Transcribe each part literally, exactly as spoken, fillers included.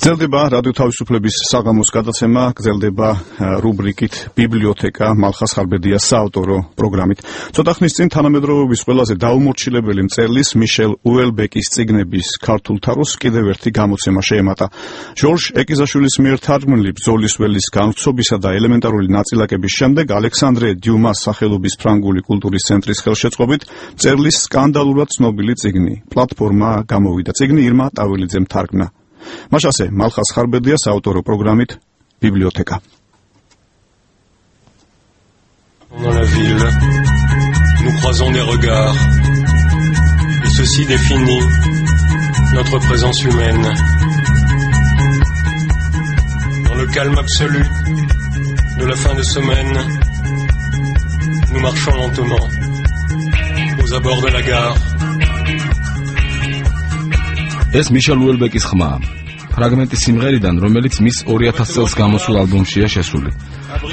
გრძელდება რადიო თავისუფლების საღამოს გადაცემა, გრძელდება რუბრიკით ბიბლიოთეკა მალხას ხარბედიას საავტორო პროგრამით. ცოტა ხნის წინ თანამედროვეობის ყველაზე დაუმორჩილებელი მწერლის მიშელ უელბეკის წიგნების ქართულ თაროს კიდევ ერთი გამოცემა შეემატა. ჟორჟ ეკიზაშვილის მიერ თარგმნილი ბრძოლის ველის განვრცობისა და ელემენტარული ნაწილაკების შემდეგ ალექსანდრე დიუმას სახელობის ფრანგული კულტურის ცენტრის ხელშეწყობით მწერლის სკანდალურად ცნობილი წიგნი პლატფორმა გამოვიდა. წიგნი ირმა ტავილიძემ თარგმნა. Mashase, Malchas Charbedias, autor programmit, bibliothèque. Dans la ville, nous croisons des regards, et ceci définit notre présence humaine. Dans le calme absolu de la fin de semaine, nous marchons lentement aux abords de la gare. ეს მიშელ უელბეკის ხმაა. ფრაგმენტი სიმღერიდან, რომელიც მის ორი ათას წელს გამოსულ ალბომშია შესული.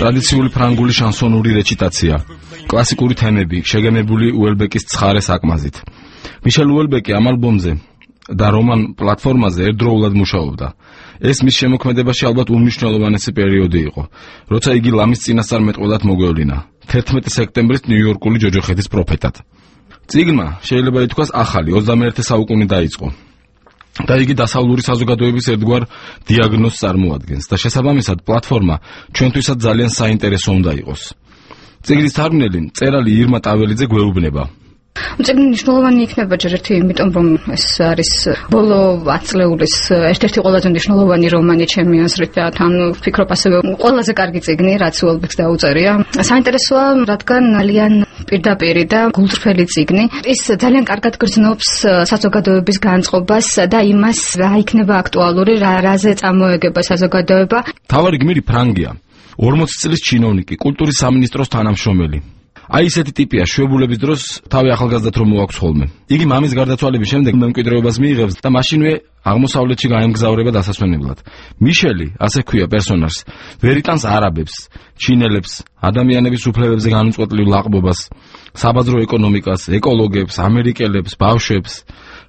ტრადიციული ფრანგული შანსონური რეჩიტაცია, კლასიკური თემები, შეგემებული უელბეკის ცხარე საკმაზით. მიშელ უელბეკი ამ ალბომზე და რომან პლატფორმაზე ერთდროულად მუშაობდა. ეს მის შემოქმედებაში ალბათ უმნიშვნელოვანესი პერიოდი იყო, როცა იგი ლამის წინასწარმეტყველად მოგვევლინა, თერთმეტი სექტემბრის ნიუ-იორკული ჯოჯოხეთის პროფეტად. წიგნმა შეიძლება ითქვას ახალი ოცდამეერთე საუკუნე დაიწყო. და იგი დასავლური საზოგადოების ერთგვარ დიაგნოზს წარმოადგენს და შესაბამისად პლატფორმა ჩვენთვისაც ძალიან საინტერესო უნდა იყოს. წიგნის თარგმნელი მწერალი ირმა ტაველიძე გვეუბნება. წიგნი მნიშვნელოვანი იქნება ჯერ ერთი იმიტომ რომ ეს არის ბოლო ათი წლეულის ერთ-ერთი ყველაზე მნიშვნელოვანი რომანი ჩემი აზრით და თან ვფიქრობ ასევე ყველაზე კარგი წიგნი რაც უელბეკს დაუწერია. საინტერესოა რადგან ძალიან პირდაპირი და გულწრფელი წიგნი. ის ძალიან კარგად გრძნობს საზოგადოების განწყობას და იმას რა იქნება აქტუალური, რა რაზე წამოეგება საზოგადოება. თავარი გმირი ფრანგია, ორმოცი წლის ჩინოვნიკი, კულტურის სამინისტროს თანამშრომელი. აი ესეთი ტიპია შვებულების დროს თავი ახალგაზრდად რომ მოაქვს ხოლმე. იგი მამის გარდაცვალების შემდეგ მემკვიდრეობას მიიღებს და მაშინვე აღმოსავლეთში გაემგზავრება დასასვენებლად. მიშელი, ასე ქვია პერსონაჟს, ვერ იტანს არაბებს, ჩინელებს, ადამიანების უფლებებზე განუწყვეტლივ ლაყბობას, საბაზრო ეკონომიკას, ეკოლოგებს, ამერიკელებს, ბავშვებს.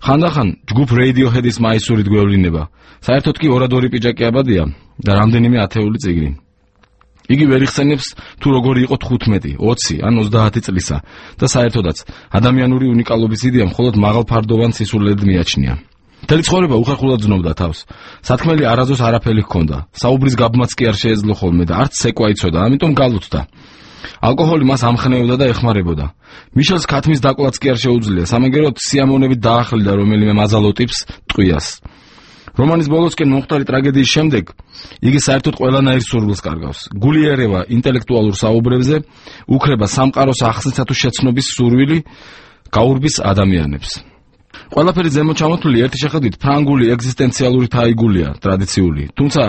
ხანდახან ჯგუფ Radiohead-ის მაისურით გვევლინება. საერთოდ კი ორადორი პიჯაკი აბადია და რამდენიმე ათეული წიგნი. იგი ვერ იხსენებს თუ როგორი იყო თხუთმეტი, ოცი ან ოცდაათი წლისა და საერთოდაც ადამიანური უნიკალობის იდეა მხოლოდ მაღალფარდოვან სისულელად მიაჩნია. მთელი ცხოვრება უხერხულად ზნობდა თავს. სათქმელი არაზოს არაფერი ჰქონდა. საუბრის გაბმაც კი არ შეეძლო ხოლმე და არც ცეკვა იცოდა, ამიტომ გალუცდა. ალკოჰოლი მას ამხნეობდა და ეხმარებოდა. მიშელს ქათმის დაკვლაც კი არ შეუძლია, სამაგეროდ სიამოვნებით დაახლდა რომელიმე მაზალო ტიპს ტყვიას. რომანის ბოლოსკენ მომხდარი ტრაგედიის შემდეგ იგი საერთოდ ყველანაირ სურვილს კარგავს. გული ერევა ინტელექტუალურ საუბრებზე, უქრება სამყაროს ახსნისა თუ შეცნობის სურვილი, გაურბის ადამიანებს. ყველაფერი ზემოჩამოთვლილი ერთი შეხედვით ფრანგული ეგზისტენციალური თაიგულია, ტრადიციული. თუმცა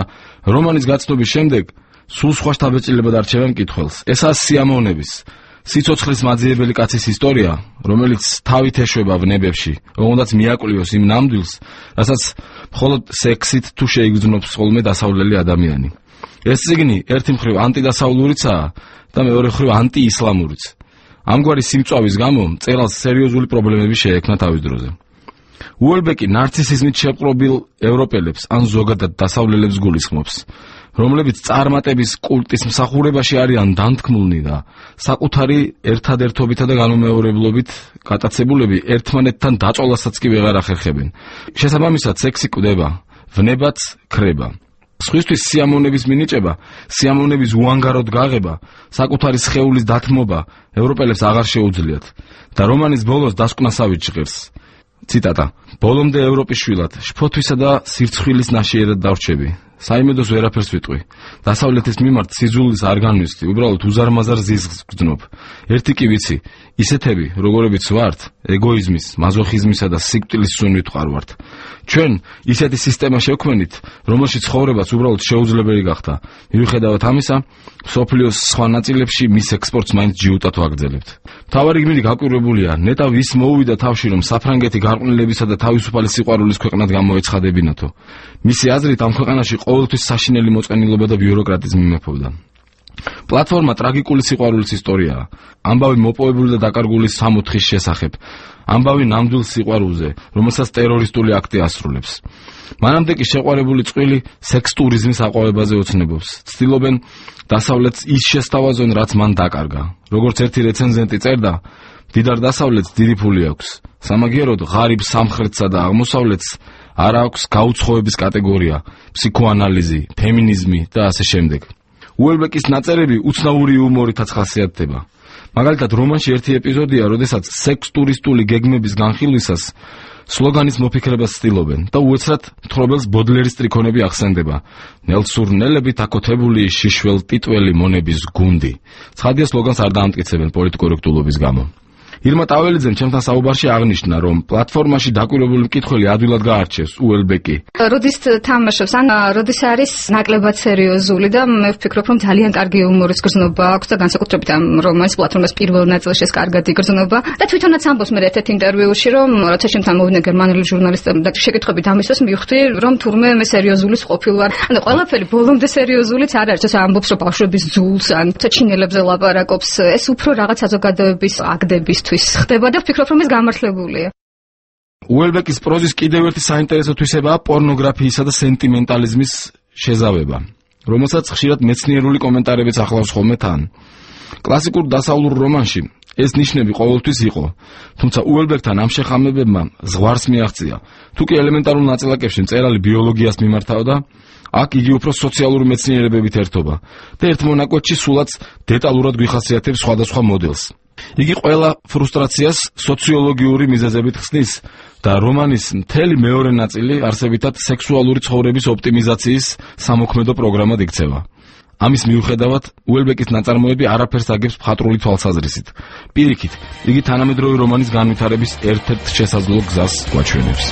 რომანის გაცნობის შემდეგ სულ სხვა შთაბეჭდილებად არჩევენ მკითხველს. ესაა სიამოვნების, სიცოცხლის მაძიებელი კაცის ისტორია, რომელიც თავით ეშვება ვნებებში, რომელსაც მიაკვლიოს იმ ნამდვილს, რასაც მხოლოდ სექსით თუ შეიგრძნობს ხოლმე დასავლელი ადამიანი. ეს წიგნი ერთი მხრივ ანტიდასავლურიცაა და მეორე მხრივ ანტიისლამურიც. ამგვარი სიმწვავის გამო მწერალს სერიოზული პრობლემები შეექმნა თავის დროზე. უელბეკი ნარცისიზმით შეპყრობილ ევროპელებს ან ზოგადად დასავლელებს გულისხმობს, რომლებიც წარმატების კულტის მსახურებაში არიან დანთქმულნი და საკუთარი ერთადერთობითა და განუმეორებლობით გატაცებულები ერთმანეთთან დაწოლასაც კი ვეღარ ახერხებენ. შესაბამისად სექსი კვდება, ვნებაც ქრება. სხვისთვის სიამოვნების მინიჭება, სიამოვნების უანგაროდ გაღება, საკუთარი სხეულის დათმობა ევროპელებს აღარ შეუძლიათ და რომანის ბოლოს დასკვნასავით ჟღერს. ციტატა: ბოლომდე ევროპის შვილად, შფოთვისა და სირცხვილის ნაშიერად დავრჩები. საიმედოს ვერაფერს ვიტყვი. დასავლეთის მიმართ სიძულვის არ განვიცდი, უბრალოდ უზარმაზარ ზიზღს გძნობ. ერთი კი ვიცი, ისეთები, როგორებიც ვართ, ეგოიზმის, მაზოხიზმისა და სიკვდილის სუნვით ვყარვართ. ჩვენ ისეთი სისტემა შევქმნით, რომელშიც ცხოვრებაც უბრალოდ შეუძლებელი გახდა. მიუხედავად ამისა, მსოფლიოს სხვა ნაწილებში მის ექსპორტს მაინც ჯიუტად ვაგრძელებთ. მთავარი გმირი გაკვირვებულია, ნეტა ვის მოუვიდა თავში, რომ საფრანგეთი გარყვნილებისა და თავისუფალი სიყვარულის ქვეყნად გამოეცხადებინათო. მისი აზრით ამ ქვეყანაში ყოველთვის საშინელი მოწყენილობა და ბიუროკრატიზმი მეფობდა. პლატფორმა ტრაგიკული სიყვარულის ისტორიაა. ამბავი მოპოვებული და დაკარგული სამოთხის შესახებ. ამბავი ნამდვილ სიყვარულზე, რომელსაც ტერორისტული აქტი ასრულებს. მანამდე კი შეყვარებული წყვილი სექს ტურიზმის აყვავებაზე ოცნებობს. ცდილობენ დასავლეთს ის შესთავაზონ, რაც მან დაკარგა. როგორც ერთი რეცენზენტი წერდა, მდიდარ დასავლეთს დიდი ფული აქვს. სამაგიეროდ ღარიბ სამხრეთსა და აღმოსავლეთს არ აქვს გაუცხოების კატეგორია, ფსიქოანალიზი, ფემინიზმი და ასე შემდეგ. უელბეკის ნაწერები უცნაური იუმორითაც ხასიათდება. მაგალითად, რომანში ერთი ეპიზოდია, როდესაც სექს ტურისტული გეგმების განხილვისას სლოგანის მოფიქრებას ცდილობენ და უეცრად მთხრობელს ბოდლერის ტრიქონები ახსენდება. ნელსურნელებით აკოთებული შიშველ ტიტველი მონების გუნდი. ცხადია, სლოგანს არ დაამტკიცებენ პოლიტკორექტულობის გამო. ირმა ტაველიძემ ჩემთან საუბარში აღნიშნა, რომ პლატფორმაში დაკვირვებული მკითხველი ადვილად გაარჩევს უელბეკი. როდის თამაშობს, ან როდის არის ნაკლებად სერიოზული და მე ვფიქრობ, რომ ძალიან კარგი იუმორის გრძნობა აქვს და განსაკუთრებით ამ რომანის პლატფორმას პირველ ნაწილში კარგად იგრძნობა და თვითონაც ამბობს მე ერთ-ერთ ინტერვიუში, რომ როცა ჩემთან მოვიდნენ გერმანელი ჟურნალისტები და შეკითხებით ამისთვის მივხვდი, რომ თურმე მე სერიოზულის ყოფილ ვარ. ანუ ყველაფერი ბოლომდე სერიოზულიც არ არის, ეს ამბობს, რომ ბავშვების ძულს ან ჩინელებზე ლაპარაკობს, ეს უფრო რაღაც საზოგადოების აკდების ხდება და ვფიქრობ, რომ ეს გამართლებულია. უელბეკის პროზის კიდევ ერთი საინტერესო თვისებაა პორნოგრაფიისა და სენტიმენტალიზმის შეზავება, რომელსაც ხშირად მეცნიერული კომენტარებიც ახლავს ხოლმე თან. კლასიკურ დასავლურ რომანში ეს ნიშნები ყოველთვის იყო, თუმცა უელბეკთან ამ შეხამებებმა ზღვარს მიაღწია. თუ კი ელემენტარულ ნაწილაკებში მწერალი ბიოლოგიას მიმართავდა, აქ იგი უფრო სოციალური მეცნიერებებით ერთობა და ერთ მონაკვეთში სულაც დეტალურად გვიხასიათებს სხვადასხვა მოდელს. იგი ყველა ფრუსტრაციას სოციოლოგიური მიზეზებით ხსნის და რომანის მთელი მეორე ნაწილი არსებითად სექსუალური ცხოვრების ოპტიმიზაციის სამოქმედო პროგრამად იქცევა. ამის მიუხედავად, უელბეკის ნაწარმოები არაფერს აგებს მხატვრული თვალსაზრისით. პირიქით, იგი თანამედროვე რომანის განვითარების ერთ-ერთ შესაძლო გზას გვაჩვენებს.